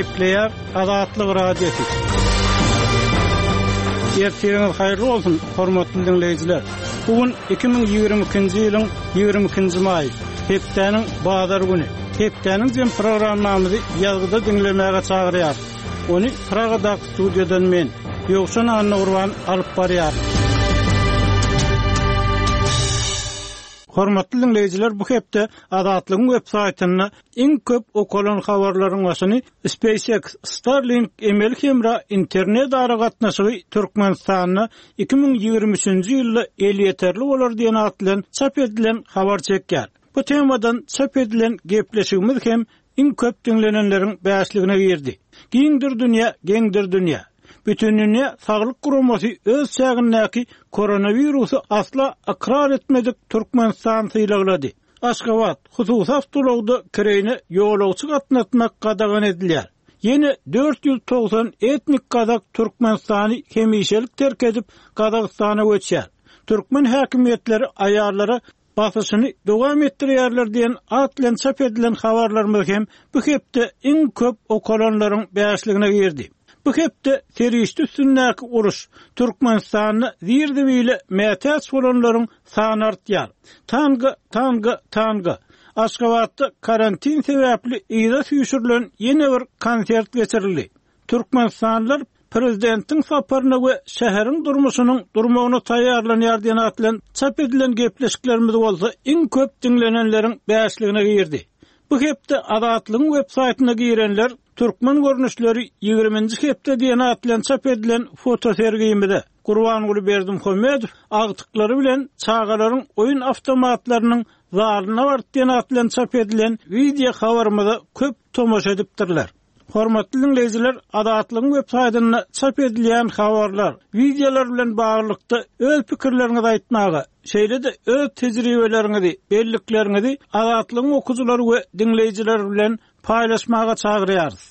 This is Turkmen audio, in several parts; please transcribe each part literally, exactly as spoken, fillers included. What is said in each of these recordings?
Gepleýär Azatlyk Radiosy. Ertiriňiz haýyrly bolsun, hormatly diňleýjiler. Bu gün iki müň ýigrimi ikinji ýylyň ýigrimi ikinji maýy, hepdäniň bazar güni. Hepdäniň jem programmamyzy ýazgyda diňlemäge çagyrýarys. Ony Pragadaky studiýadan men, Ýowşan Annagurban alyp barýaryn. Hormatly diňleýjiler, bu hepde Azatlygyň web saýtynda iň köp okalan habarlaryň başyny SpaceX Starlink emeli hemra internet aragatnaşygy Türkmenistanda iki müň ýigrimi üçünji ýylda elýeterli bolar diýen at bilen çap edilen habar çekýär. Bu temadan çap edilen gepleşigimiz hem iň köp diňlenenleriň bäşligine girdi. Giňdir dünýä, geňdir dünýä. Bütindünýä Saglyk Guramasy öz çägindäki koronawirusy asla ykrar etmedik Türkmenistan sylaglady. Aşgabat, hususy awtoulagda kireýine ýolagçy gatnatmak gadagan edilýär. Ýene dört ýüz togsan etnik gazak Türkmenistany hemişelik terk edip, Gazagystana göçýär. Türkmen häkimiýetleri aýallara basyşyny dowam etdirýärler diýen at bilen çap edilen habarlarymyz hem bu hepde iň köp okalanlaryň bäşligine girdi. Bu hepde serişde üstündäki uruş Türkmenistanda zir-zibile mätäç bolanlaryň sany artýar. Tanga, tanga, tanga. Aşgabatda karantin sebäpli yza süýşürilen ýene bir konsert geçirildi. Türkmenistanlylar prezidentiň saparyna we şäheriň durmuşynyň durmagyna taýýarlanýar diýen at bilen çap edilen gepleşiklerimiz bolsa iň köp diňlenenleriň bäşligine girdi. Bu hepde Azatlygyň web saýtyna girenler Türkmen görnüşleri ýigriminji hepde diýen at bilen çap edilen fotosergimize Gurbanguly Berdimuhamedow agtyklary bilen çagalaryň oýun awtomatlarynyň zalyna baryp diýen at bilen çap edilen wideo habarymyza köp tomaşa edipdirler. Hormatly diňleýjiler, Azatlygyň web saýtynda çap edilýän habarlar, wideolar bilen baglylykda öz pikirleriňizi aýtmaga, şeýle-de öz tejribeleriňizi, bellikleriňizi Azatlygyň okyjylary we diňleýjileri bilen paýlaşmaga çagyrýarys.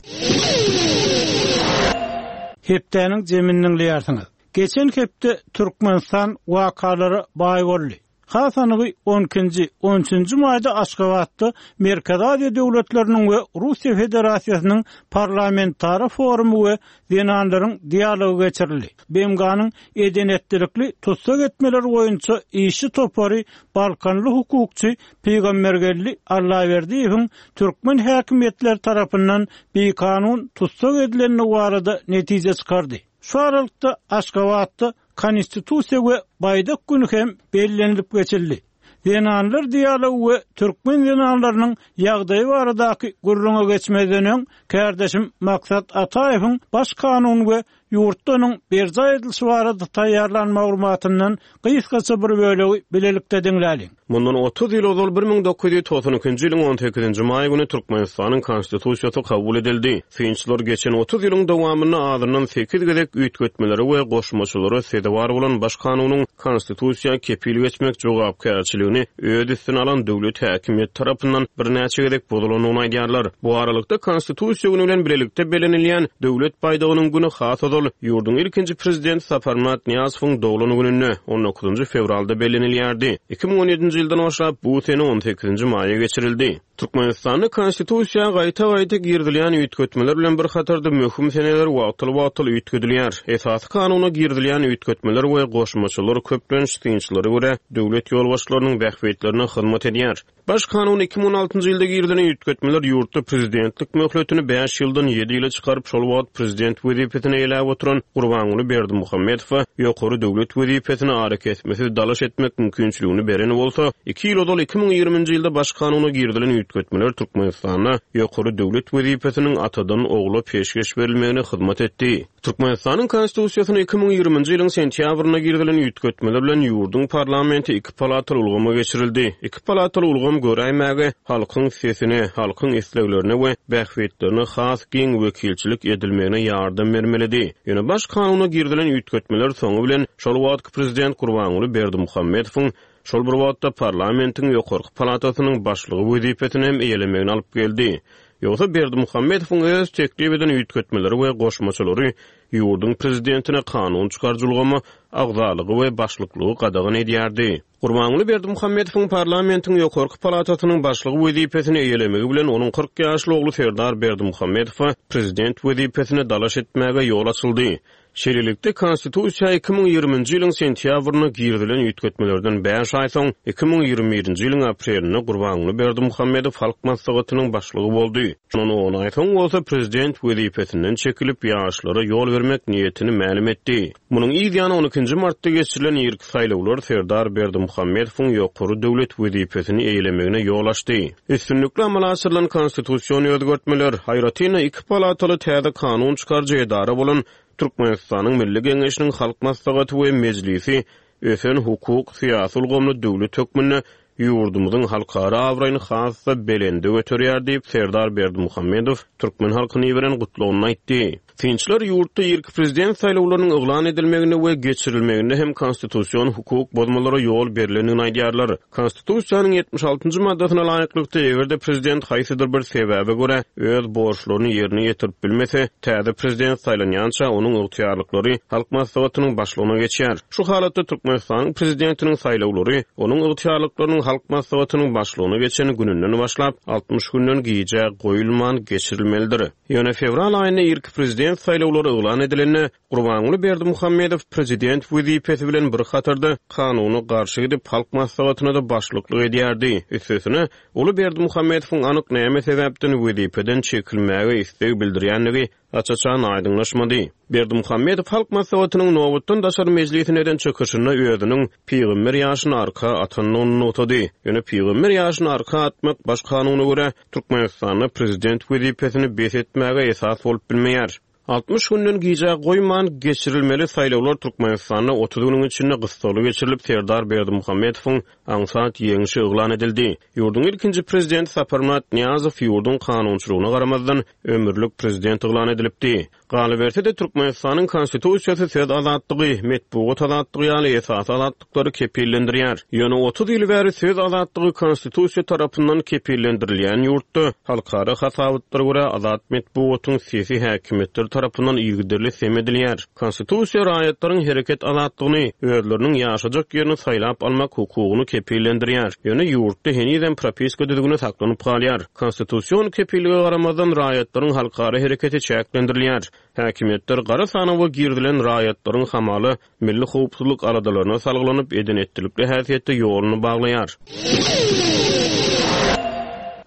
Hepdäniň jemini diňleýärsiňiz. Geçen hepde Türkmenistan wakalara baý boldy. Has anygy on ikinji, on üçünji maýda Aşgabatda Merkezi Aziýa döwletleriniň we Russiýa Federasiýasynyň parlamentara forumy we zenanlaryň dialogy geçirildi. B M G-nyň edenetlilikli tussag etmeler boýunça işçi topary Balkanly hukukçy Pygambergeldi Allaberdiýewiň türkmen häkimiýetleri tarapyndan bikanun tussag edilendigi barada netije çykardy. Şu aralykda Aşgabatda Konstitusiýa we Baýdak güni hem bellenilip geçildi. Zenanlar dialogy we türkmen zenanlarynyň ýagdaýy baradaky gürrüňe geçmezden öň, kärdeşim Maksat Ataýewiň baş kanun we ýurtda onuň berjaý edilişi barada taýýarlan maglumatyndan gysgaça bir bölegi bilelikde diňläliň. Mundan otuz ýyl ozal bir müň dokuz ýüz togsan ikinji ýylyň on sekizinji maý güni Türkmenistanyň Konstitusiýasy kabul edildi. Synçylar geçen otuz ýylyň dowamynda azyndan sekiz gezek üýtgetmelere we goşmaçalara sezewar bolan baş kanunyň Konstitusiýa kepil geçmek jogapkärçiligini öz üstüne alan döwlet häkimiýeti tarapyndan birnäçe gezek bozulandygyny aýdýarlar. Bu aralykda Konstitusiýa güni bilen bilelikde bellenilýän döwlet baýdagynyň güni has ozal ýurduň ilkinji prezidenti Saparmyrat Nyýazowyň doglan gününde on dokuzynjy fewralda bellenilýärdi. Iki müň on ýedinji ýyldan başlap bu sene on sekizinji maýa geçirildi. Türkmenistanda Konstitusiýa gaýta-gaýta girizilýän üýtgetmeler bilen bir hatarda möhüm seneler wagtal-wagtal üýtgedilýär. Esasy kanuna girizilýän üýtgetmeler we goşmaçalar köplenç synçylara görä döwlet ýolbaşçylarynyň bähbitlerine hyzmat edýär. Baş kanun iki müň on altynjy ýylda girizilen üýtgetmeler ýurtda prezidentlik möhletini bäş ýyldan ýedi ýyla çykaryp, şol wagt prezident wezipesine eýläp oturan Gurbanguly Berdimuhamedowa ýokary döwlet wezipesine arakesmesiz dalaş etmek mümkinçiligini beren bolsa, iki ýyl ozal iki müň ýigriminji ýylda baş kanuna girizilen üýtgetmeler Türkmenistanda ýokary döwlet wezipesiniň atadan ogla peşgeş berilmegine hyzmat etdi. Türkmenistanyň Konstitusiýasyna iki müň ýigriminji ýylyň sentýabrynda girizilen üýtgetmeler bilen ýurduň parlamenti iki palataly ulgama geçirildi. Iki palataly ulgam göräýmäge halkyň sesine, halkyň isleglerine we bähbitlerine has giň wekilçilik edilmegine ýardam bermelidi. Ýöne baş kanuna girizilen üýtgetmeler soňy bilen şol wagtky prezident Gurbanguly Berdimuhamedowyň şol bir wagtda parlamentiň ýokarky palatasynyň başlygy wezipesini hem eýelemegini alyp geldi. Ýogsa Berdimuhamedowyň öz teklip eden üýtgetmeleri we goşmaçalary ýurduň prezidentine kanun çykaryjy ulgama agzalygy we başlyklygy gadagan edýärdi. Gurbanguly Berdimuhamedowyň parlamentiň ýokarky palatasynyň başlygy wezipesini eýelemegi bilen onuň kyrk ýaşly ogly Serdar Berdimuhamedowa prezident wezipesine dalaş etmäge ýol açyldy. Şeýlelikde, Konstitusiýa iki müň ýigriminji ýylyň sentýabrynda girizilen üýtgetmelerden bäş aý soň, iki müň ýigrimi birinji ýylyň aprelinde Gurbanguly Berdimuhamedow Halk Maslahatynyň başlygy boldy. Şondan on aý soň bolsa prezident wezipesinden çekilip, ýaşlara ýol bermek niýetini mälim etdi. Munuň yz ýany on ikinji martda geçirilen irki saýlawlar Serdar Berdimuhamedowyň ýokary döwlet wezipesini eýelemegine ýol açdy. Üstünlikli amala aşyrylan konstitusion özgertmeler, aýratyn-da iki palataly täze kanun çykaryjy edara bolan Türkmenistanyň Milli Geňeşiniň Halk Maslahaty we Mejlisi ösen hukuk, syýasy ulgamly döwlet hökmünde ýurdumyzyň halkara abraýyny has-da belende göterýär diýip, Serdar Berdimuhamedow türkmen halkyna iberen gutlagynda aýtdy. Synçylar ýurtda irki prezident saýlawlarynyň yglan edilmeginde we geçirilmeginde hem konstitusion hukuk bozmalara ýol berlendigini aýdýarlar. Konstitusiýanyň ýetmiş altynjy maddasyna laýyklykda, eger-de prezident haýsydyr bir sebäbe görä öz borçlaryny ýerine ýetirip bilmese, täze prezident saýlanýança onuň ygtyýarlyklary Halk Maslahatynyň başlygyna geçýär. Şu halatda Türkmenistanyň prezidentiniň saýlawlary onuň ygtyýarlyklarynyň Halk Maslahatynyň başlygyna geçen gününden başlap altmyş günden gijä goýulman geçirilmelidir. Ýöne fewral aýynda irki prezident saýlawlary yglan edilende Gurbanguly Berdimuhamedow prezident wezipesi bilen bir hatarda kanuna garşy gidip Halk Maslahatyna-da başlyklyk edýärdi. Üstesine, Uly Berdimuhamedowyň anyk näme sebäpden wezipeden çekilmäge isleg bildirýändigi aç-açan aýdyňlaşmady. Berdimuhamedow Halk Maslahatynyň nobatdan daşary mejlisine eden çykyşynda özüniň pygamber ýaşyny arka atandygyny nygtady. Ýöne pygamber ýaşyny arka atmak baş kanuna görä Türkmenistanda prezident wezipesini bes etmäge esas bolup bilmeýär. Altmyş günden gijä goýman geçirilmeli saýlawlar Türkmenistanda otuz günüň içinde gyssagly geçirilip, Serdar Berdimuhamedowyň aňsat ýeňşi yglan edildi. Ýurduň ilkinji prezidenti Saparmyrat Nyýazow ýurduň kanunçylygyna garamazdan ömürlik prezident yglan edilipdi. Galyberse-de Türkmenistanyň konstitusiýasy söz azatlygy, metbugat azatlygy ýaly esasy azatlyklary kepillendirýär. Ýöne otuz ýyl bäri söz azatlygy konstitusiýa tarapyndan kepillendirilýän ýurtda halkara hasabatlara görä azat metbugatyň sesi häkimiýetler tarapyndan yzygiderli sem edilýär. Konstitusiýa raýatlaryň hereket azatlygyny, özleriniň ýaşajak ýerini saýlap almak hukugyny kepillendirýär. Ýöne ýurtda henizem propiska düzgüni saklanyp galýar. Konstitusion kepillige garamazdan raýatlaryň halkara hereketi çäklendirilýär. Häkimiýetler gara sanawa girizilen raýatlaryň hamaly milli howpsuzlyk aladalaryna salgylanyp eden etdilikli häsiýetde ýoluny baglaýar.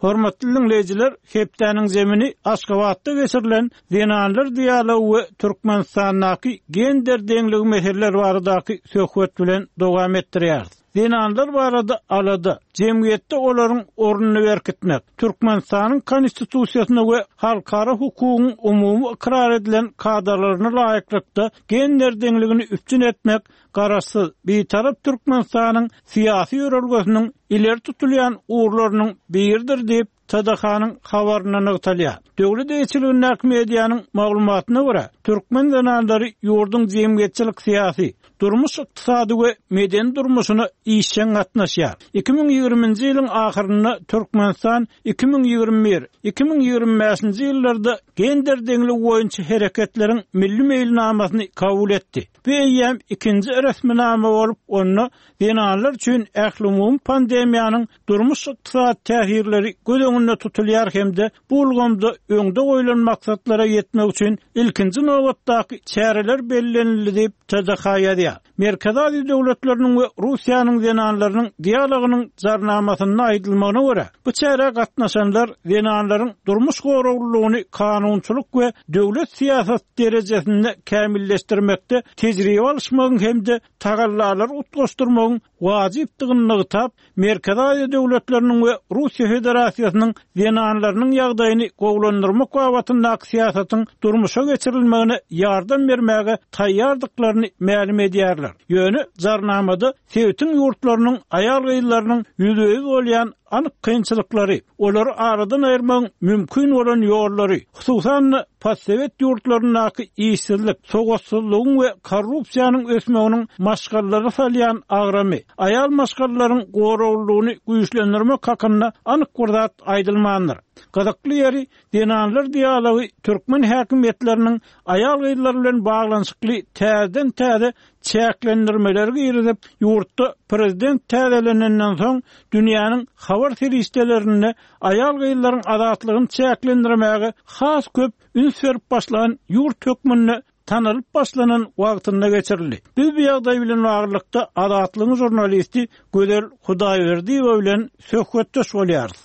Hormatly dinleýjiler, hepdäniň zemini Aşgabatda geçirilen Zenanlar dialogy we Türkmenistandaky gender deňligi meseleleri baradaky söhbet bilen dowam etdirýär. Zenanlar barada alada, jemgyýetde olaryň ornuny berkitmek, Türkmenistanyň konstitusiýasyna we halkara hukugyň umumy ykrar edilen kadalaryna laýyklykda gender deňligini üpjün etmek, Garaşsyz, Bitarap Türkmenistanyň syýasy ýörelgesiniň ileri tutulýan ugurlarynyň biridir diýip T D H-nyň habarynda nygtalýar. Döwlet eýeçiligindäki medianyň maglumatyna görä, türkmen zenanlary ýurduň jemgyýetçilik syýasy, durmuş ykdysady we medeni durmuşyna işjeň gatnaşýar. iki müň ýigriminji ýylyň ahyrynda Türkmenistan iki müň ýigrimi bir, iki müň ýigrimi bäşinji ýyllarda gender deňligi boýunça hereketleriň milli meýilnamasyny kabul etdi. Bu eýýäm ikinji resminama bolup, onda zenanlar üçin ählumumy pandemiýanyň durmuş ykdysady täsirleri göz öňünde tutulýar hem-de bu ulgamda öňde goýlan maksatlara ýetmek üçin ilkinji nobatdaky çäreler bellenildi diýip T D H ýazýar. Merkezi Aziýa döwletleriniň we Russiýanyň zenanlarynyň dialogynyň jarnamasynda aýdylmagyna görä, bu çärä gatnaşanlar zenanlaryň durmuş goraglylygyny kanunçylyk we döwlet syýasat derejesinde kämilleşdirmekde tejribe alyşmagyň hem-de tagallalary utgaşdyrmagyň wajypdygyny nygtap, Merkezi Aziýa döwletleriniň we Russiýa Federasiýasynyň zenanlarynyň ýagdaýyny gowulandyrmak babatyndaky syýasatyň durmuşa geçirilmegine ýardam bermäge taýýardyklaryny mälim edýärler. Ýöne jarnamada sebitiň ýurtlarynyň aýal-gyzlarynyň ýüzbe-ýüz bolýan anyk kynçylyklary, olary aradan aýyrmagyň mümkin bolan ýollary, hususan-da postsowet ýurtlaryndaky işsizlik, sowatsyzlygyň we korrupsiýanyň ösmeginiň aýallaryň maşgalalara salýan agramy, aýal maşgalalaryň goraglylygyny güýçlendirmek hakynda anyk bir zat aýdylmandyr. Gyzykly ýeri, zenanlar dialogy türkmen häkimiýetleriniň aýal-gyzlar bilen baglanyşykly täzeden-täze çäklendirmeleri girizip, ýurtda prezident täzelenenden soň dünýäniň habar serişdelerinde aýal-gyzlaryň azatlygyny çäklendirmäge has köp üns berip başlan ýurt hökmünde tanalyp başlanan wagtynda geçirildi. Biz bu ýagdaý bilen baglylykda Azatlygyň žurnalisti Gözel Hudaýberdiýewa bilen söhbetdeş bolýarys.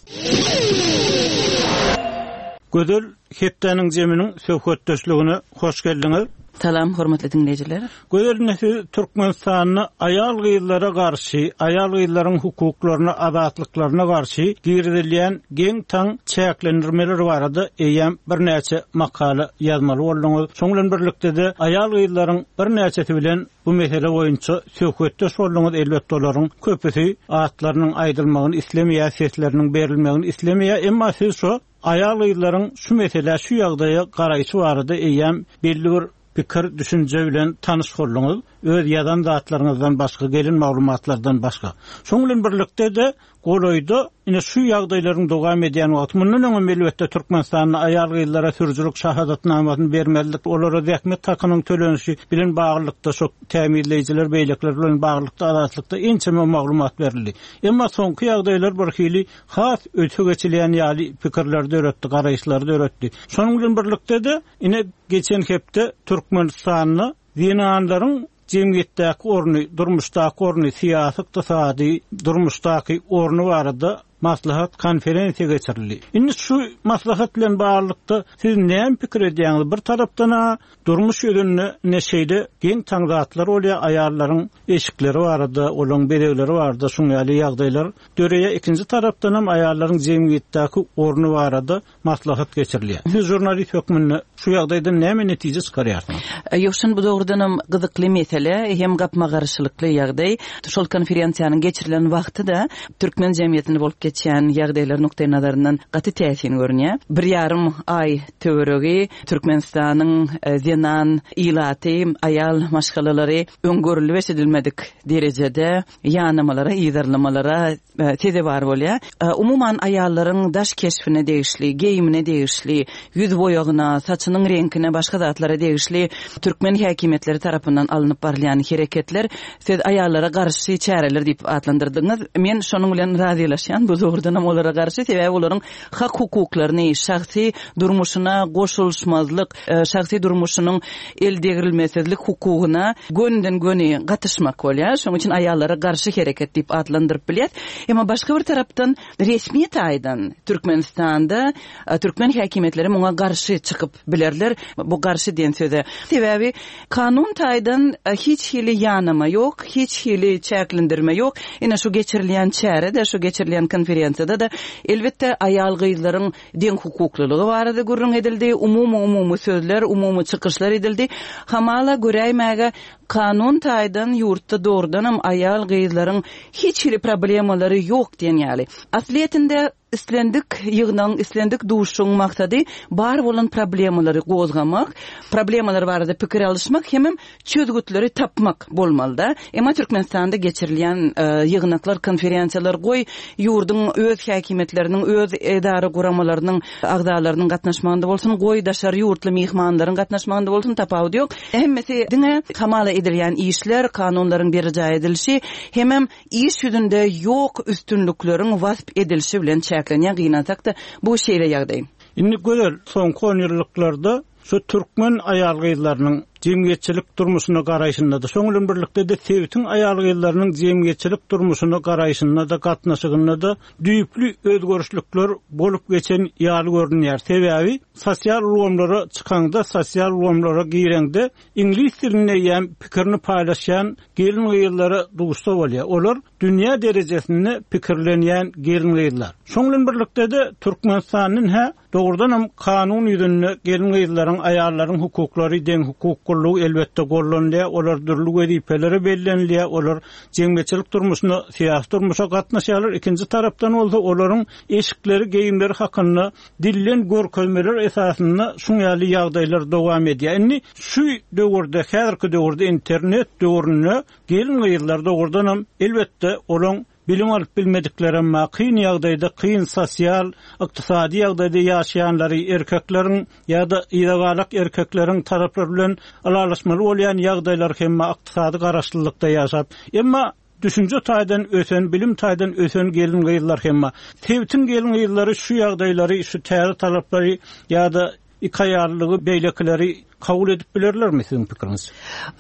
Gözel, hepdäniň zeminiň söhbetdeşligine hoş geldiňiz. Salam hormatly dinleýjiler. Gözel, ine siz Türkmenistanda aýal-gyzlara garşy, aýal-gyzlaryň hukuklaryna, azatlyklaryna garşy girizilýän geň-taň çäklendirmeler barada eýýäm birnäçe makala ýazmaly bolduňyz. Şonuň bilen birlikde-de aýal-gyzlaryň birnäçesi bilen bu mesele boýunça söhbetdeş bolduňyz. Elbetde olaryň köpüsi atlarynyň aýdylmagyny islemeýär, sesleriniň berilmegini islemeýär. Emma siz şu aýal-gyzlaryň şu meselä, şu ýagdaýa garaýşy barada eýýäm belli bir pikir, düşünje bilen tanyş bolduňyz. Öz ýazan zatlaryňyzdan başga, gelen maglumatlardan başga. Şonuň bilen birlikde-de golaýda ine şu ýagdaýlaryň dowam edýän wagty, mundan öňem elbetde Türkmenistanda aýal-gyzlara sürüjilik şahadatnamasyny bermezlik, olara zähmet hakynyň tölenişi bilen baglylykda şu tämizleýjiler, beýlekler bilen baglylykda Azatlykda ençeme maglumat berildi. Emma soňky ýagdaýlar bir hili has öte geçilýän ýaly pikirler döretdi, garaýyşlar döretdi. Şonuň bilen birlikde-de ine geçen hepde Türkmenistanda zenanlaryň jemgyýetdäki orny, durmuşdaky orny, syýasy, ykdysady durmuşdaky orny barada maslahat konferensiýa geçirildi. Indi şu maslahat bilen baglylykda siz näme pikir edýäňiz? Bir tarapdan ha durmuş ýüzünde ne şeýle geň taň zatlar bolýar, aýallaryň eşikleri barada, olaryň bezegleri barada şuň ýaly ýagdaýlar döreýär. Ikinji tarapdan hem aýallaryň jemgyýetdäki orny barada maslahat geçirilýär. Siz žurnalist hökmünde şu ýagdaýdan näme netije çykarýarsyňyz? Ýowşan, bu dogrudan hem gyzykly mesele, hem gapma-garşylykly ýagdaý. Şol konferensiýanyň geçirilen wagty da türkmen jemgyýetinde bolup geçýän ýagdaýlar nukdaý nazaryndan gaty täsin görünýär. Bir ýarym aý töweregi Türkmenistanyň, e, zenan ilaty, aýal maşgalalary öňgörülip eşidilmedik derejede ýanamalara, ýygarlamalara, e, sezewar bolýar. E, umuman aýallaryň daş keşbine degişli, geýimine degişli, ýüz boýagyna, saçynyň reňkine, başga zatlara degişli türkmen häkimiýetleri tarapyndan alnyp barylýan hereketler siz aýallara garşy çäreler diýip atlandyrdyňyz. Men şonuň bilen razylaşýan, bu dogrudan hem olara garşy, sebäbi olaryň hak hukuklaryny, şahsy durmuşyna goşulyşmazlyk, e, şahsy durmuşynyň el degrilmesizlik hukugyna gönden-göni gatyşmak bolýar. Şonuň üçin aýallara garşy hereket diýip atlandyryp bilýär. Emma başga bir tarapdan resmi taýdan Türkmenistanda, e, türkmen häkimiýetleri muňa garşy çykyp bilerler. Bu garşy diýen söze. Sebäbi kanun taýdan, e, hiç hili ýanama ýok, hiç hili çäklendirme ýok. Ine şu geçirilýän çärede, şu geçirilýän konferensiýada da elbetde aýal-gyzlaryň deň hukuklylygy barada gürrüň edildi. Umumy umumy sözler, umumy çykyşlar edildi. Hamala göräýmäge kanun taýdan ýurtda dogrudan hem aýal-gyzlaryň hiç hili problemalary ýok diýen ýaly. Aslyýetinde islendik ýygnaň, islendik duşuň maksady bar bolan problemalary gozgamak, problemalar barada pikir alyşmak hem çözgütleri tapmak bolmalyda. Emma Türkmenistanda geçirilýän, e, ýygnaklar, konferensiýalar goý ýurduň öz häkimiýetleriniň, öz edara guramalarynyň agzalarynyň gatnaşmagynda bolsun, goý daşary ýurtly myhmanlaryň gatnaşmagynda bolsun, tapawudy ýok. Hemmesi diňe hamala edilýän işler, kanunlaryň berjaý edilişi, hemem iş ýüzünde ýok üstünlikleriň wasp edilişi bilen çäklenýän, gynansak-da bu şeýle ýagdaý. Indi gözel soňky on ýyllyklarda şu türkmen aýal-gyzlarynyň jemgyýetçilik durmuşyna garaýşynda-da, şonuň bilen birlikde-de sebitiň aýal-gyzlarynyň jemgyýetçilik durmuşyna garaýşynda-da, gatnaşygynda-da düýpli özgerişlikler bolup geçen ýaly görünýär. Sebäbi sosial ulgamlara çykanda, sosial ulgamlara girende iňlis dilinde ýa pikirini paýlaşýan gelin-gyzlara duşsa bolýar. Olar dünýä derejesinde pikirlenýän gelin-gyzlar. Şonuň bilen birlikde-de Türkmenistanyň hä dogrudan hem kanun ýüzünde gelin-gyzlaryň tarapdan aýallaryň hukuklary deň hukuklylygy elbetde gollanylýar, olar dürli wezipelere bellenilýär, olar jemgyýetçilik durmuşyna, syýasy durmuşa gatnaşýarlar. Ikinji tarapdan bolsa olaryň eşikleri, geýimleri hakynda dillen görkezmeler esasynda şuň ýaly ýagdaýlar dowam edýär. Indi şu döwürde, häzirki döwürde internet döwründe gelin-gyzlar dogrudanam elbetde olaň bilim alyp bilmedikleri emma kyn ýagdaýda, kyn sosial, ykdysady ýagdaýda ýaşaýanlary erkekleriň ýa-da ýygalak erkekleriň taraplary bilen ylalaşmaly bolýan ýagdaýlar hem ykdysady garaşlylykda ýaşap. Emma düşünje taýdan ösen, bilim taýdan ösen gelin-gyzlar hem sebitiň gelin-gyzlary şu ýagdaýlary, şu täze talaplary ýa-da iki aýallygy beýlekileri kabul edip bilerlermi siziň pikiriňiz?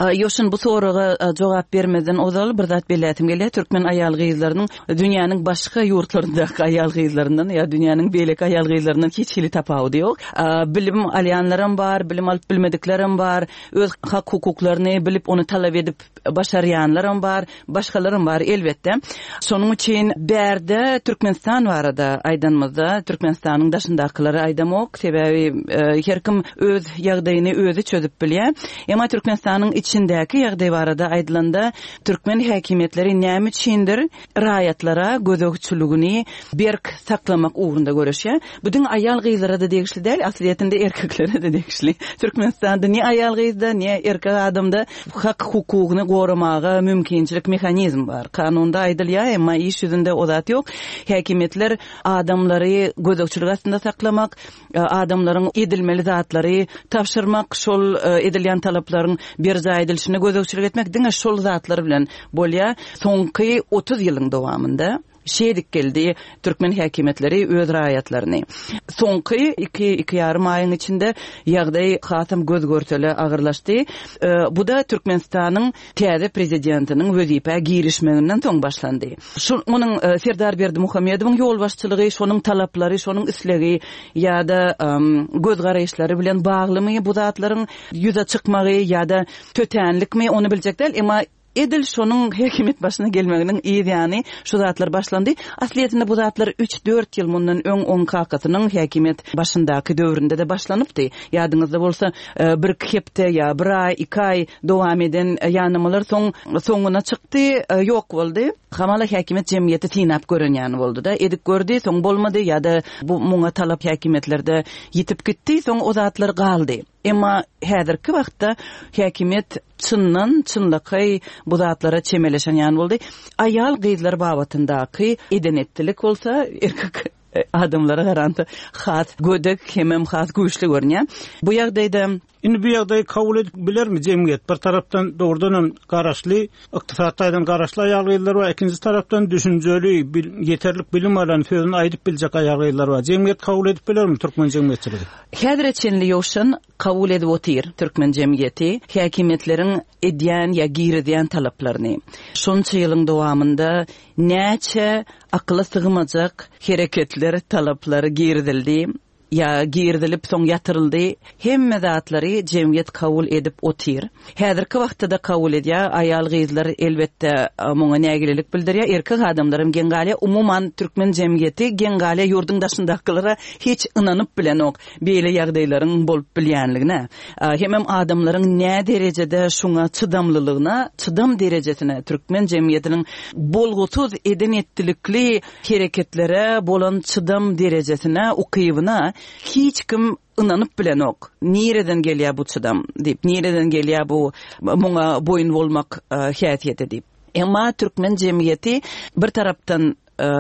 Ýoşun bu soraga jogap bermeden ozal bir zat bellätim gelýär. Türkmen aýal gyzlarynyň dünýäniň başga ýurtlaryndaky aýal gyzlaryndan ýa dünýäniň beýleki aýal gyzlaryndan hiç hili tapawudy ýok. Bilim alýanlaram bar, bilim alyp bilmediklerim bar, öz hak hukuklaryny bilip ony talap edip başarýanlaram bar, başgalaram bar elbetde. Şonuň üçin bärde Türkmenistan barada aýdanymyzda Türkmenistanyň daşyndakylary aýdamok, sebäbi her kim öz ýagdaýyny özi çözüp bilýär. Emma Türkmenistanyň içindäki ýagdaý barada aýdylanda türkmen häkimiýetleri näme üçindir raýatlara gözegçiligini berk saklamak ugrunda göreşýär. Bu diňe aýal gyzlara da degişli däl, aslyýetinde erkeklere de degişli. Türkmenistanda ne aýal gyzda, ne erkek adamda hak hukugyny goramaga mümkinçilik mehanizm bar. Kanunda aýdylýar, emma iş ýüzünde o zat ýok. Häkimiýetler adamlary gözegçilik astynda saklamak, adamlaryň edilmeli zatlary tabşyrmak, şol edilýän talaplaryň berjaý edilişine gözegçilik etmek diňe şol zatlar bilen bolýar. Soňky otuz ýylyň dowamynda şeýdik geldi türkmen häkimiýetleri öz raýatlaryny. Soňky iki, iki ýarym aýyň içinde ýagdaý hasam göz görsele agyrlaşdy. Bu da Türkmenistanyň täze prezidentiniň wezipä girişmeginden soň başlandy. Şu onuň Serdar Berdimuhamedowyň ýolbaşçylygy, şonuň talaplary, şonuň islegi ýa-da göz garaýyşlary bilen baglymy bu zatlaryň ýüze çykmagy ýa-da tötänlikmi ony biljek däl, emma edil şonuň häkimiýet başyna gelmeginiň yz ýany şu zatlar başlandy. Aslyýetinde bu zatlar üç dört ýyl mundan öň oň kakasynyň häkimiýet başyndaky döwründe de başlanypdy. Ýadyňyzda bolsa, bir iki hepde ýa bir aý, iki aý dowam eden ýanamalar soň soňuna çykdy, ýok boldy. Hamala häkimiýet jemgyýeti synap gören ýany boldy da, edip gördi, soň bolmady ýa-da bu muňa talap häkimiýetlerde ýitip gitdi, soň o zatlar galdy. Emma häzirki wagtda häkimiýet çyndan çynlakaý bu zatlara çemeleşen ýany boldy. Aýal gyzlar babatyndaky eden etdilik bolsa erkek adamlara garanda has gödek hemem has güýçli görünýär. Bu ýagdaýda Indi bu ýagdaýy kabul edip bilermi jemgyýet? Bir tarapdan dogrudan hem garaşly, ykdysady taýdan garaşly aýal gyzlar bar, ikinji tarapdan düşünjeli, ýeterlik bilim alan, sözüni aýdyp biljek aýal gyzlar bar. Jemgyýet kabul edip bilermi türkmen jemgyýetçiligi? Häzire çenli ýowşan kabul edip otyr türkmen jemgyýeti häkimiýetleriň edýän ýa girizýän talaplaryny. Şonça ýylyň dowamynda näçe akyla sygmajak hereketler, talaplar girizildi, ýa girizilip soň ýatyryldy, hemme zatlary jemgyýet kabul edip otyr. Häzirki wagtda da kabul edýär, aýal gyzlar elbetde muňa nägilelik bildirýär, erkek adamlaram geň galýar. Umuman türkmen jemgyýeti geň galýar, ýurduň daşyndakylara hiç ynanyp bilenok beýle ýagdaýlaryň bolup bilýänligine. Hemem adamlaryň nä derejede şuňa çydamlylygyna, çydam derejesine türkmen jemgyýetiniň bolgusyz eden etdilikli hereketlere bolan çydam derejesine, ukybyna hiç kim ynanyp bilenok. Nireden gelýär bu çydam diýip, nireden gelýär bu muňa boýun bolmak häsiýeti diýip. Emma türkmen jemgyýeti bir tarapdan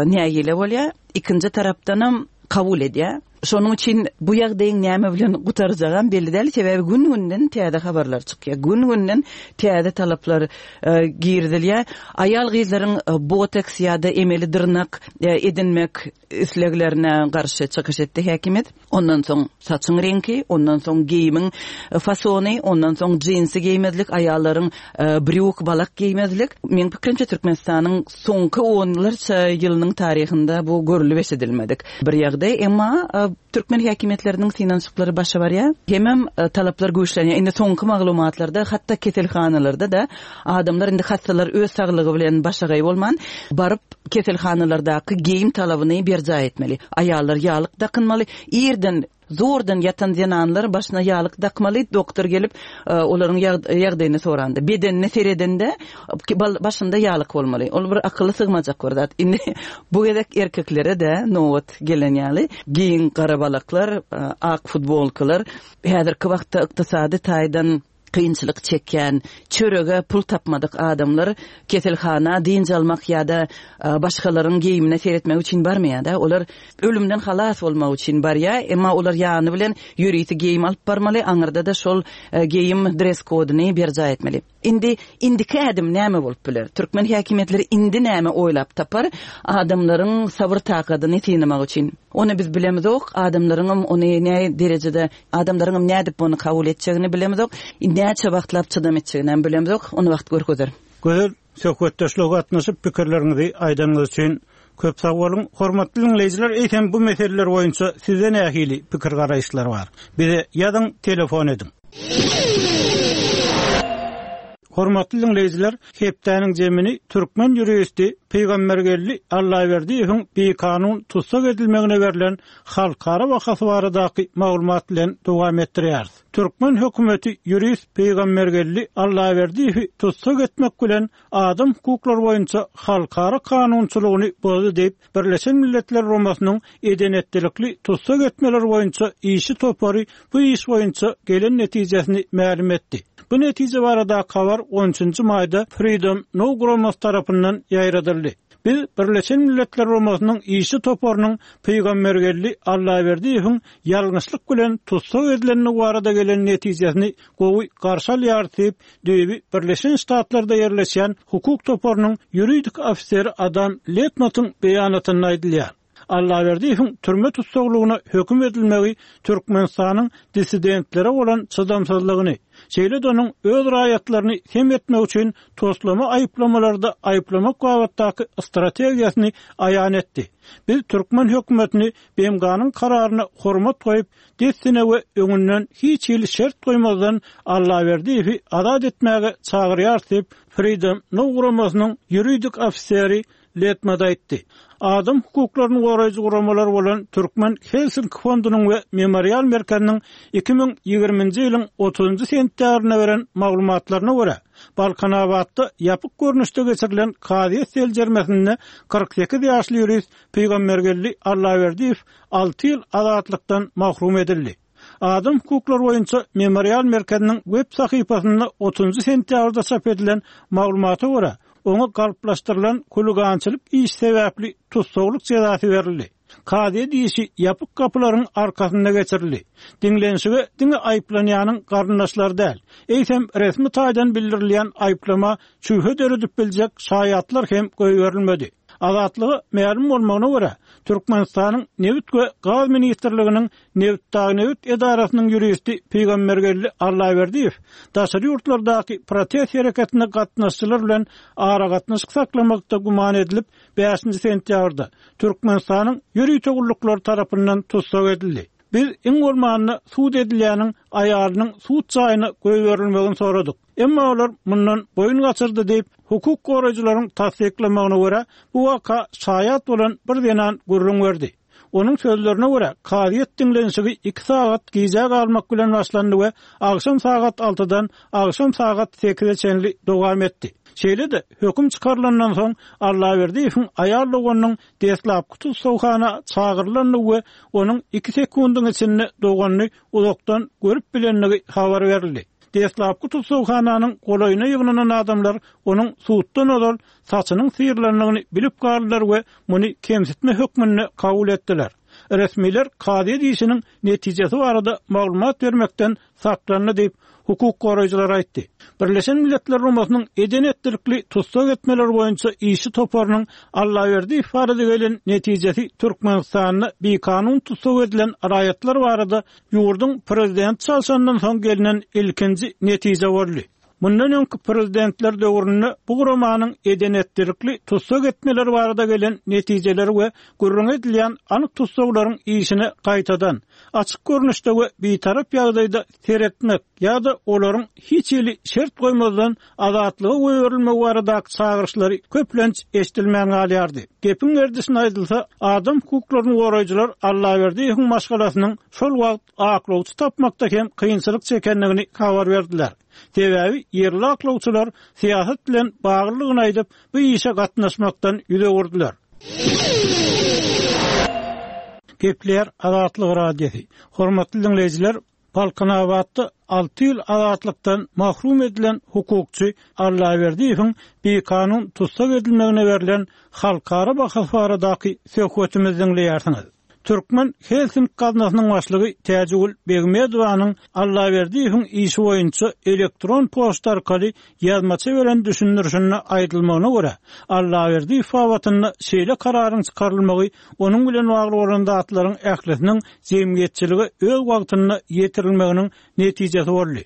nägile bolýar, ikinji tarapdanam kabul edýär. Şonuň üçin bu ýagdaýyň näme bilen gutarjagam belli däl, sebäbi gün-günden täze habarlar çykýar. Gün-günden täze talaplar girizilýär. Aýal gyzlaryň botoks ýa-da emeli dyrnak edinmek isleglerine garşy çykyş etdi häkimiýet. Ondan soň saçyň reňki, ondan soň geýimiň fasony, ondan soň jinsi geýmezlik, aýallaryň brýuk, balak geýmezlik. Meň pikirimçe Türkmenistanyň soňky onlarça ýylynyň taryhynda bu görülip eşidilmedik bir ýagdaý, emma Türkmen häkimiýetleriniň synanyşyklary başa barýar. Hemem talaplar güýçlenýär. Indi soňky maglumatlarda hatda keselhanalarda-da adamlar indi hassalar öz saglygy bilen başagaý bolman, baryp keselhanalardaky geýim talabyny berjaý etmeli. Aýallar ýalyk dakynmaly. Irden zordan ýatan zenanlar başyna ýalyk dakmaly, doktor gelip, olaryň ýagdaýyny soranda, bedenine seredende başynda ýalyk bolmaly. Ol bir akyly sygmajak bir zat. Indi bu gezek erkeklere-de nobat gelen ýaly, giň gara balaklar, ak futbolkalar, häzirki wagtda ykdysady taýdan kynçylyk çekýän, çörege pul tapmadyk adamlar keselhana dynç almak ýa-da başgalaryň geýimine seretmek üçin barmaýar-da. Olar ölümden halas bolmak üçin barýar, emma olar ýany bilen ýörite geýim alyp barmaly, aňyrda-da şol geýim dress kodyny berjaý etmeli. Indi indiki ädim näme bolup biler? Türkmen häkimiýetleri indi näme oýlap tapar adamlaryň sabyr takadyny synamak üçin? Ony biz bilemizok, adamlaryňam ony näme derejede, adamlaryňam nädip ony kabul etjegini bilemizok, näçe wagtlap çydam etjegini hem bilemizok, ony wagt görkezer. Gözel, söhbetdeşlige gatnaşyp pikirleriňizi aýdanyňyz üçin köp sag boluň. Hormatly diňleýjiler, eýsem bu meseleler boýunça sizde nähili pikir garaýyşlar bar? Bize ýazyň, telefon ediň. Hormatly diňleýjiler, hepdäniň jemini türkmen ýuristi Pygambergeldi Allaberdiýewiň bikanun tussag edilmegine berlen halkara bahasy baradaky maglumat bilen dowam etdirýäris. Türkmen hökümeti ýurist Pygambergeldi Allaberdiýewi tussag etmek bilen adam hukuklary boýunça halkara kanunçylygyny bozdy diýip, Birleşen Milletler Guramasynyň edenetlilikli tussag etmeler boýunça işi topary bu iş boýunça gelen netijesini mälim etdi. Bu netije barada habar on üçünji maýda Freedom Now guramasy tarapyndan ýaýradyldy. Biz Birleşen Milletler Guramasynyň işi toparynyň Pygambergeldi Allaberdiýewiň ýalňyşlyk bilen tussag edilendigi barada gelen netijesini gowy garşy alýar diýip, düýbi Birleşen Ştatlarda ýerleşýän hukuk toparynyň ýuridik ofiseri Adam Letmatyň beýanatynda aýdylýar. Allaberdiýewiň türme tussaglygyna höküm edilmegi Türkmenistanyň dissidentlere bolan çydamsyzlygyny, şeýle-de onuň öz raýatlaryny sem etmek üçin toslama aýyplamalarda aýyplamak babatdaky strategiýasyny aýan etdi. Biz türkmen hökümetini B M G-nyň kararyna hormat goýup, dessine we öňünden hiç hili şert goýmazdan Allaberdiýewi azat etmäge çagyrýar diýip, Freedom Now guramasynyň ýuridik ofiseri Letmad aýtdy. Adam hukuklaryny goraýjy guramalar bolan Türkmen Helsinki fondunyň we Memorial merkeziniň iki müň ýigriminji ýylyň otuzynjy sentýabrynda beren maglumatlaryna görä, Balkanabatda ýapyk görnüşde geçirilen kazyýet seljermesinde kyrk sekiz ýaşly ýurist Pygambergeldi Allaberdiýew alty ýyl azatlykdan mahrum edildi. Adam hukuklary boýunça Memorial merkeziniň web sahypasynda otuzynjy sentýabrda çap edilen maglumata görä, oňa galplaşdyrylan huligançylyk iş sebäpli tussaglyk jezasy berildi. Kazyýet işi ýapyk gapylaryň arkasynda geçirildi. Diňlenişige diňe aýyplanýanyň garyndaşlary däl, eýsem resmi taýdan bildirilýän aýyplama şübhe döredip biljek şaýatlar hem goýberilmedi. Azatlyga mälim bolmagyna görä, Türkmenistanyň Nebit we Gaz Ministrliginiň Nebit-Dagnebit edarasynyň ýuristi Pygambergeldi Allaberdiýew daşary ýurtlardaky protest hereketine gatnaşyjylar bilen aragatnaşyk saklamakda güman edilip, bäşinji sentýabrda Türkmenistanyň ýörite gulluklary tarapyndan tussag edildi. Biz iň bolmanda sud edilýäniň aýalynyň sud jaýyna goýberilmegini soradyk. Emma olar mundan boýun gaçyrdy diýip, hukuk goraýjylaryň tassyklamagyna görä, bu waka şaýat bolan bir zenan gürrüň berdi. Onuň sözlerine görä, kazyýet diňlenişigi iki sagat gijä galmak bilen başlandy we agşam sagat altydan agşam sagat sekize çenli dowam etdi. Şeýle-de höküm çykarylandan soň Allaberdiýewiň aýal doganynyň deslapky tussagxana çagyrylandygy we onuň iki sekundyň içinde doganyny uzakdan görüp bilendigi habar berildi. Deslapky tussagxananyň golaýyna ýygnanan adamlar onuň suddan ozal saçynyň syrylandygyny bilip galdylar we muny kemsitme hökmünde kabul etdiler. Resmiler kazyýet işiniň netijesi barada maglumat bermekden saklandy diýip, hukuk goraýjylar aýtdy. Birleşen Milletler Guramasynyň edenetlilikli tussag etmeler boýunça işi toparynyň Allaberdiýew barada gelen netijesi Türkmenistanda bikanun tussag edilen raýatlar barada ýurduň prezident çalşandan soň gelnen ilkinji netije boldy. Mundan öňki prezidentler döwründe bu guramanyň eden-etdilikli tussag etmeleri barada gelen netijeleri we gürrüňi edilýän anyk tussaglaryň işine gaýtadan, açyk görnüşde we bitarap ýagdaýda seretmek ýa-da olaryň hiç hili şert goýmazdan azatlyga goýberilmegi baradaky çagyryşlary köplenç eşidilmän galýardy. Gepiň gerdişine aýdylsa, adam hukuklaryny goraýjylar Allaberdiýewiň maşgalasynyň şol wagt aklawçy tapmakda hem kynçylyk çekendigini habar berdiler. Sebäbi ýerli aklawçylar syýasat bilen baglylygyny aýdyp, bu işe gatnaşmakdan ýüz öwürdiler. Gepleýär Azatlyk Radiosy. Hormatly diňleýjiler, Balkanabatda alty ýyl azatlykdan mahrum edilen hukukçy Allaberdiýewiň bikanun tussag edilmegine berlen halkara bahasy baradaky söhbetimizi diňleýärsiňiz. Türkmen Helsinki gaznasynyň başlygy Täjigül Begmedowanyň Allaberdiýewiň işi boýunça elektron poçta arkaly ýazmaça beren düşündirişinde aýdylmagyna görä, Allaberdiýew babatynda şeýle kararyň çykarylmagy onuň bilen bagly bolan zatlaryň ählisiniň jemgyýetçilige öz wagtynda ýetirilmeginiň netijesi boldy.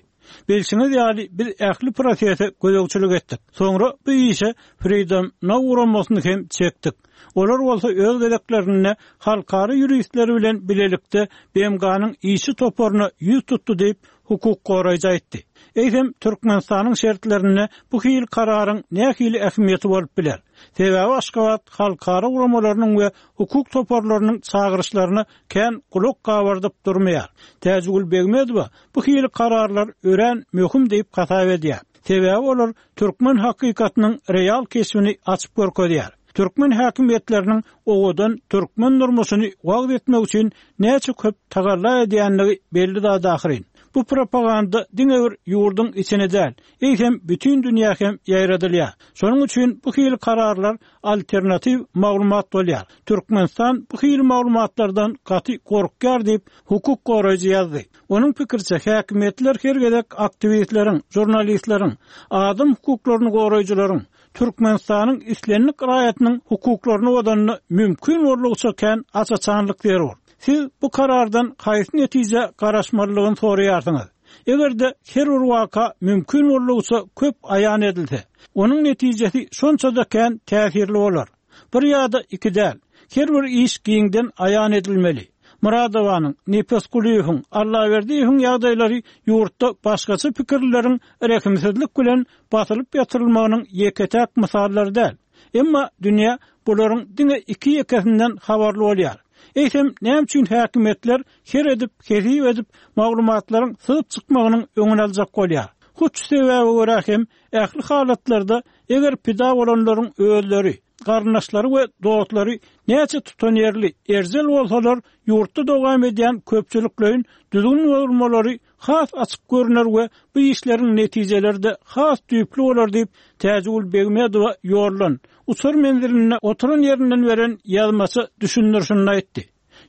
Bilşiňiz ýaly, biz ähli prosese gözegçilik etdik. Soňra bu işe Freedom Now guramasyny hem çekdik. Olar bolsa öz gezeklerinde halkara ýuristleri bilen bilelikde B M G-nyň işçi toparyna ýüz tutdy diýip, hukuk goraýjy aýtdy. Eýsem, Türkmenistanyň şertlerinde bu hili kararyň nähili ähmiýeti bolup biler? Sebäbi Aşgabat halkara guramalarynyň we hukuk toparlarynyň çagyryşlaryna kän gulak gabardyp durmaýar. Täjigül Begmedowa bu hili kararlar örän möhüm diýip hasap edýär. Sebäbi olar türkmen hakykatynyň real keşbini açyp görkezýär. Türkmen häkimiýetleriniň owadan türkmen durmuşyny wagyz etmek üçin näçe köp tagalla edýänligi belli zat ahyryn. Bu propaganda diňe bir ýurduň içine däl, eýsem bütün dünýä hem ýaýradylýar. Şonuň üçin bu hili kararlar alternatiw maglumat bolýar. Türkmenistan bu hili maglumatlardan gaty gorkýar diýip, hukuk goraýjy ýazdy. Onuň pikiriçe häkimiýetler her gezek aktiwistleriň, žurnalistleriň, adam hukuklaryny goraýjylaryň, Türkmenistanyň islendik raýatynyň hukuklaryny bozanda mümkin boldugyça kän aç-açanlyk zerur. Siz bu karardan haýsy netije garaşmalydygyny soraýarsyňyz. Eger-de her bir waka mümkin boldugyça köp aýan edilse, onuň netijesi şonça-da kän täsirli bolar. Bir ýa-da iki däl, her bir iş giňden aýan edilmeli. Muradowanyň, Nepesgulyýewiň, Allaberdiýewiň ýagdaýlary ýurtda başgaça pikirleriň rehimsizlik bilen basylyp ýatyrylmagynyň ýeke-täk mysallary däl. Emma dünýä bularyň diňe iki ýekesinden habarly bolýar. Eýsem, näme üçin häkimiýetler her edip, hesip edip maglumatlaryň syzyp çykmagynyň öňüni aljak bolýar? Hut şu sebäbe görä hem ähli halatlarda eger pida bolanlaryň özleri, garyndaşlary we dostlary näçe tutanýerli, erjel bolsalar, ýurtda dowam edýän köpçülikleýin düzgün bozulmalary has açyk görüner we bu işleriň netijeleri de has düýpli bolar diýip, Täjigül Begmedowa ýollan uçar menzilinde oturan ýerinden beren ýazmaça düşündirişini aýtdy.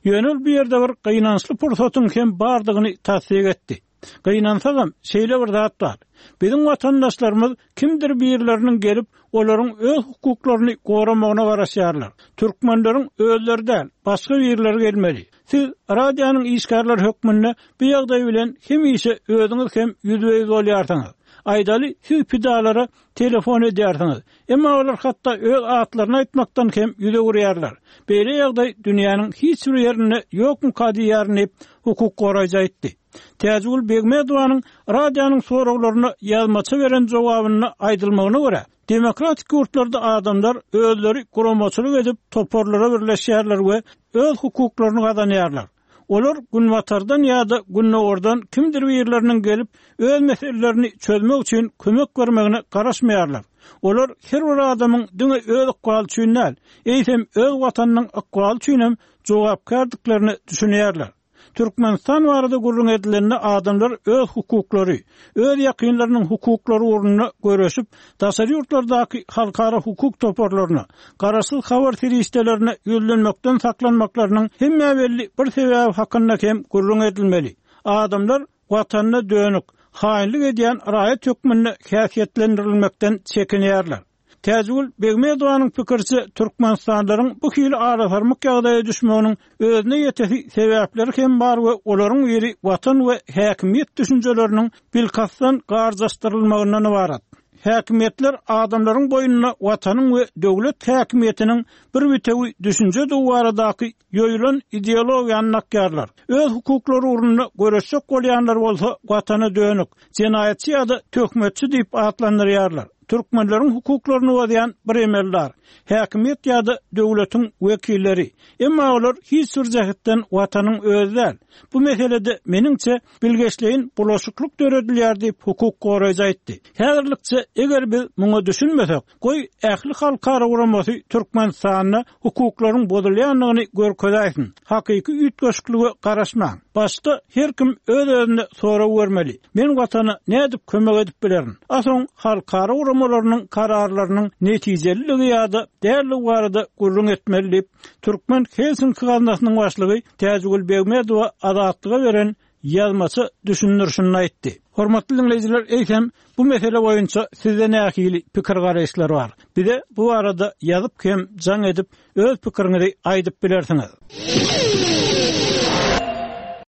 Ýöne ol bu ýerde bir gynançly pursatyň hem bardygyny tassyk etdi. Gynansagam şeýle bir zat bar. Biziň watandaşlarymyz kimdir birleriniň gelip, olaryň öz hukuklaryny goramagyna garaşýarlar. Türkmenleriň özleri däl, başga birleri gelmeli. Siz radionyň işgärleri hökmünde bu ýagdaý bilen hemişe özüňiz hem ýüzbe-ýüz bolýarsyňyz. Aýdaly, siz pidalara telefon edýärsiňiz. Emma olar hatda öz atlaryny aýtmakdan hem ýüz öwürýärler. Beýle ýagdaý dünýäniň hiç bir ýerinde ýokmuka diýýärin diýip, hukuk goraýjy aýtdy. Täjigül Begmedowanyň radionyň soraglaryna ýazmaça beren jogabynda aýdylmagyna görä, demokratik ýurtlarda adamlar özleri guramaçylyk edip toparlara birleşýärler we öz hukuklaryny gazanýarlar. Olar günbatardan ýa-da gündogardan kimdir birleriniň gelip öz meselelerini çözmek üçin kömek bermegine garaşmaýarlar. Olar her bir adamyň diňe öz ykbaly üçin däl, eýsem öz watanynyň ykbaly üçin hem jogapkärdiklerini düşünýärler. Türkmenistan barada gürrüň edilende adamlar öz hukuklary, öz ýakynlarynyň hukuklary ugrunda göreşip, daşary ýurtlardaky halkara hukuk toparlaryna, garaşsyz habar serişdelerine ýüzlenmekden saklanmaklarynyň hemme belli bir sebäbi hakynda hem gürrüň edilmeli. Adamlar watanyna dönük, haýynlyk edýän raýat hökmünde häsiýetlendirilmekden çekinýärler. Täjigül Begmedowanyň pikiriçe, türkmenistanlylaryň bu hili arasarmyk ýagdaýa düşmeginiň özüne ýetesi sebäpleri hem bar we olaryň biri watan we häkimiýet düşünjeleriniň bilkastdan garjaşdyrylmagyndan ybarat. Häkimiýetler adamlaryň boýnuna watanyň we döwlet häkimiýetiniň bir bitewi düşünjedigi baradaky ýoýulan ideologiýany dakýarlar. Öz hukuklary ugrunda göreşjek bolýanlar bolsa watana dönük, jenaýatçy ýa-da töhmetçi diýip atlandyrýarlar. Türkmenleriň hukuklaryny bozýan bir emeldar, häkimiýet ýa-da döwletiň wekilleri. Emma olar hiç bir jähetden watanyň özi däl. Bu meselede meniňçe bilgeşleýin bulaşyklyk döredilýär diýip hukuk goraýjy aýtdy. Häzirlikçe eger biz muňa düşünmesek, goý ähli halkara guramasy Türkmenistanda hukuklaryň bozulýandygyny görkezäýsin. Hakyky üýtgeşiklige garaşmaň. Başda her kim öz-özüne sorag bermeli. Men watana nädip kömek edip bilerin? A soň halkara guramalarynyň kararlarynyň netijeliligi ýa-da dälligi barada gürrüň etmeli diýip, Türkmen Helsinki gaznasynyň başlygy Täjigül Begmedowa Azatlyga beren ýazmaça düşündirişinde aýtdy. Hormatly dinleýjiler, eýsem bu mesele boýunça sizde nähili pikir garaýyşlar bar? Bize bu barada ýazyp hem jaň edip öz pikiriňizi aýdyp bilersiňiz.